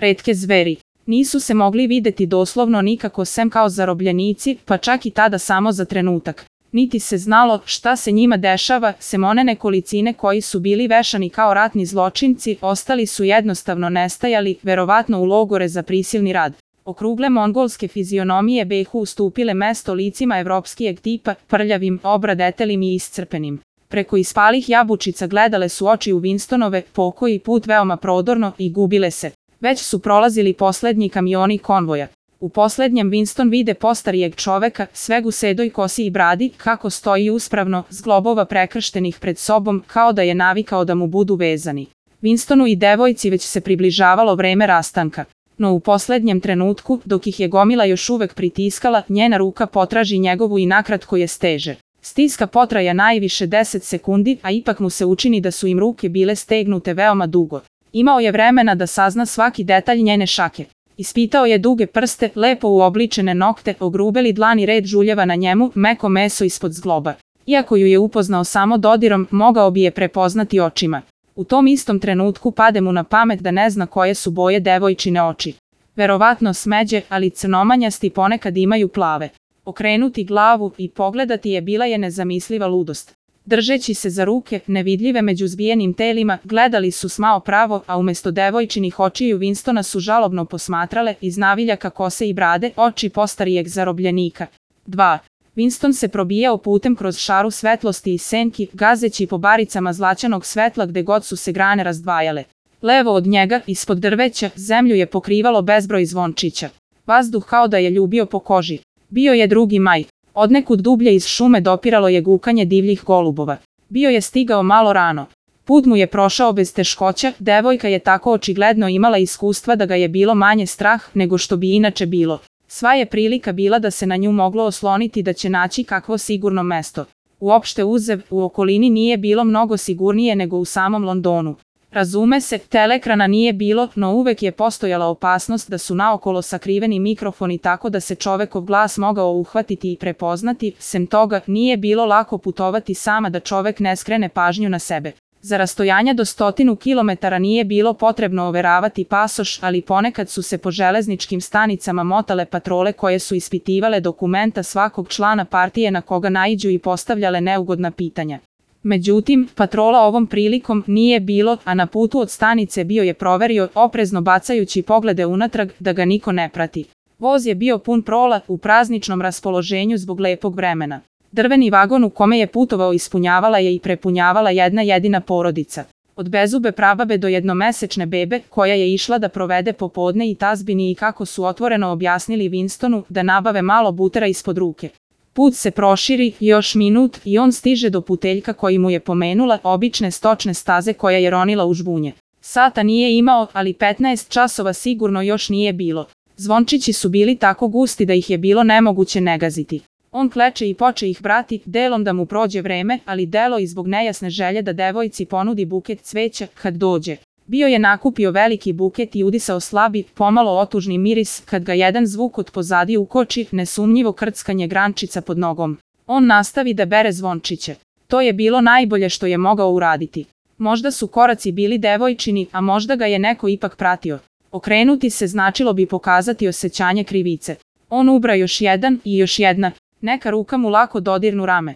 retke zveri. Nisu se mogli videti doslovno nikako sem kao zarobljenici, pa čak i tada samo za trenutak. Niti se znalo šta se njima dešava, sem one nekolicine koji su bili vešani kao ratni zločinci, ostali su jednostavno nestajali, verovatno u logore za prisilni rad. Okrugle mongolske fizionomije behu ustupile mesto licima evropskijeg tipa, prljavim, obradetelim i iscrpenim. Preko ispalih jabučica gledale su oči u Winstonove, pokoji put veoma prodorno, i gubile se. Već su prolazili poslednji kamioni konvoja. U poslednjem Winston vide postarijeg čoveka, sveg u sedoj kosi i bradi, kako stoji uspravno, zglobova prekrštenih pred sobom, kao da je navikao da mu budu vezani. Winstonu i devojci već se približavalo vreme rastanka. No u poslednjem trenutku, dok ih je gomila još uvek pritiskala, njena ruka potraži njegovu i nakratko je steže. Stiska potraja najviše 10 sekundi, a ipak mu se učini da su im ruke bile stegnute veoma dugo. Imao je vremena da sazna svaki detalj njene šake. Ispitao je duge prste, lepo uobličene nokte, ogrubeli dlani red žuljeva na njemu, meko meso ispod zgloba. Iako ju je upoznao samo dodirom, mogao bi je prepoznati očima. U tom istom trenutku pade mu na pamet da ne zna koje su boje devojčine oči. Verovatno smeđe, ali crnomanjasti ponekad imaju plave. Okrenuti glavu i pogledati je bila je nezamisliva ludost. Držeći se za ruke, nevidljive među zbijenim telima, gledali su smao pravo, a umesto devojčinih očiju Winstona su žalobno posmatrale iz naviljaka kose i brade oči postarijeg zarobljenika. 2. Winston se probijao putem kroz šaru svetlosti i senki, gazeći po baricama zlaćanog svetla gde god su se grane razdvajale. Levo od njega, ispod drveća, zemlju je pokrivalo bezbroj zvončića. Vazduh kao da je ljubio po koži. Bio je 2. maj. Odnekud dublje iz šume dopiralo je gukanje divljih golubova. Bio je stigao malo rano. Put mu je prošao bez teškoća, devojka je tako očigledno imala iskustva da ga je bilo manje strah nego što bi inače bilo. Sva je prilika bila da se na nju moglo osloniti da će naći kakvo sigurno mesto. Uopšte uzev, u okolini nije bilo mnogo sigurnije nego u samom Londonu. Razume se, telekrana nije bilo, no uvek je postojala opasnost da su naokolo sakriveni mikrofoni tako da se čovekov glas mogao uhvatiti i prepoznati, sem toga, nije bilo lako putovati sama da čovek ne skrene pažnju na sebe. Za rastojanja do 100 kilometara nije bilo potrebno overavati pasoš, ali ponekad su se po železničkim stanicama motale patrole koje su ispitivale dokumenta svakog člana partije na koga naiđu i postavljale neugodna pitanja. Međutim, patrola ovom prilikom nije bilo, a na putu od stanice bio je proverio, oprezno bacajući poglede unatrag, da ga niko ne prati. Voz je bio pun prola, u prazničnom raspoloženju zbog lepog vremena. Drveni vagon u kome je putovao ispunjavala je i prepunjavala jedna jedina porodica. Od bezube prababe do jednomesečne bebe, koja je išla da provede popodne i tazbini i kako su otvoreno objasnili Winstonu da nabave malo butera ispod ruke. Put se proširi, još minut, i on stiže do puteljka koji mu je pomenula, obične stočne staze koja je ronila u žbunje. Sata nije imao, ali 15 časova sigurno još nije bilo. Zvončići su bili tako gusti da ih je bilo nemoguće negaziti. On kleče i poče ih brati, delom da mu prođe vreme, ali delo i zbog nejasne želje da devojci ponudi buket cveća kad dođe. Bio je nakupio veliki buket i udisao slabi, pomalo otužni miris, kad ga jedan zvuk od pozadi ukoči, nesumnjivo krckanje grančica pod nogom. On nastavi da bere zvončiće. To je bilo najbolje što je mogao uraditi. Možda su koraci bili devojčini, a možda ga je neko ipak pratio. Okrenuti se značilo bi pokazati osjećanje krivice. On ubra još jedan i još jedna. Neka ruka mu lako dodirnu rame.